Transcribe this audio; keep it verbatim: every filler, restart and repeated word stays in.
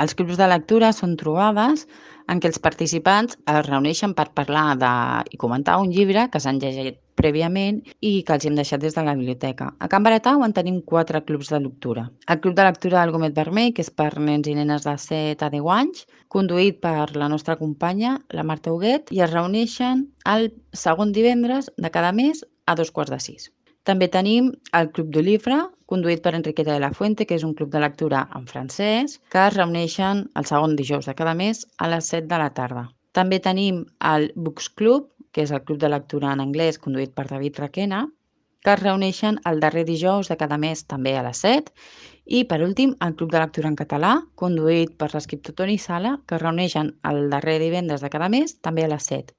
Els clubs de lectura són trobades en què els participants es reuneixen per parlar de i comentar un llibre que s'han llegit prèviament i que els hem deixat des de la biblioteca. A Can Baratau en tenim quatre clubs de lectura. El Club de Lectura del Gomet Vermell, que és per nens i nenes de set a deu anys, conduït per la nostra companya, la Marta Huguet, i es reuneixen el segon divendres de cada mes a dos quarts de sis. També tenim el Club du Livre, conduït per Enriqueta de la Fuente, que és un club de lectura en francès, que es reuneixen el segon dijous de cada mes a les set de la tarda. També tenim el Books Club, que és el club de lectura en anglès conduït per David Requena, que es reuneixen el darrer dijous de cada mes també a les set. I, per últim, el Club de Lectura en Català, conduït per l'escriptor Toni Sala, que es reuneixen el darrer divendres de cada mes també a les set.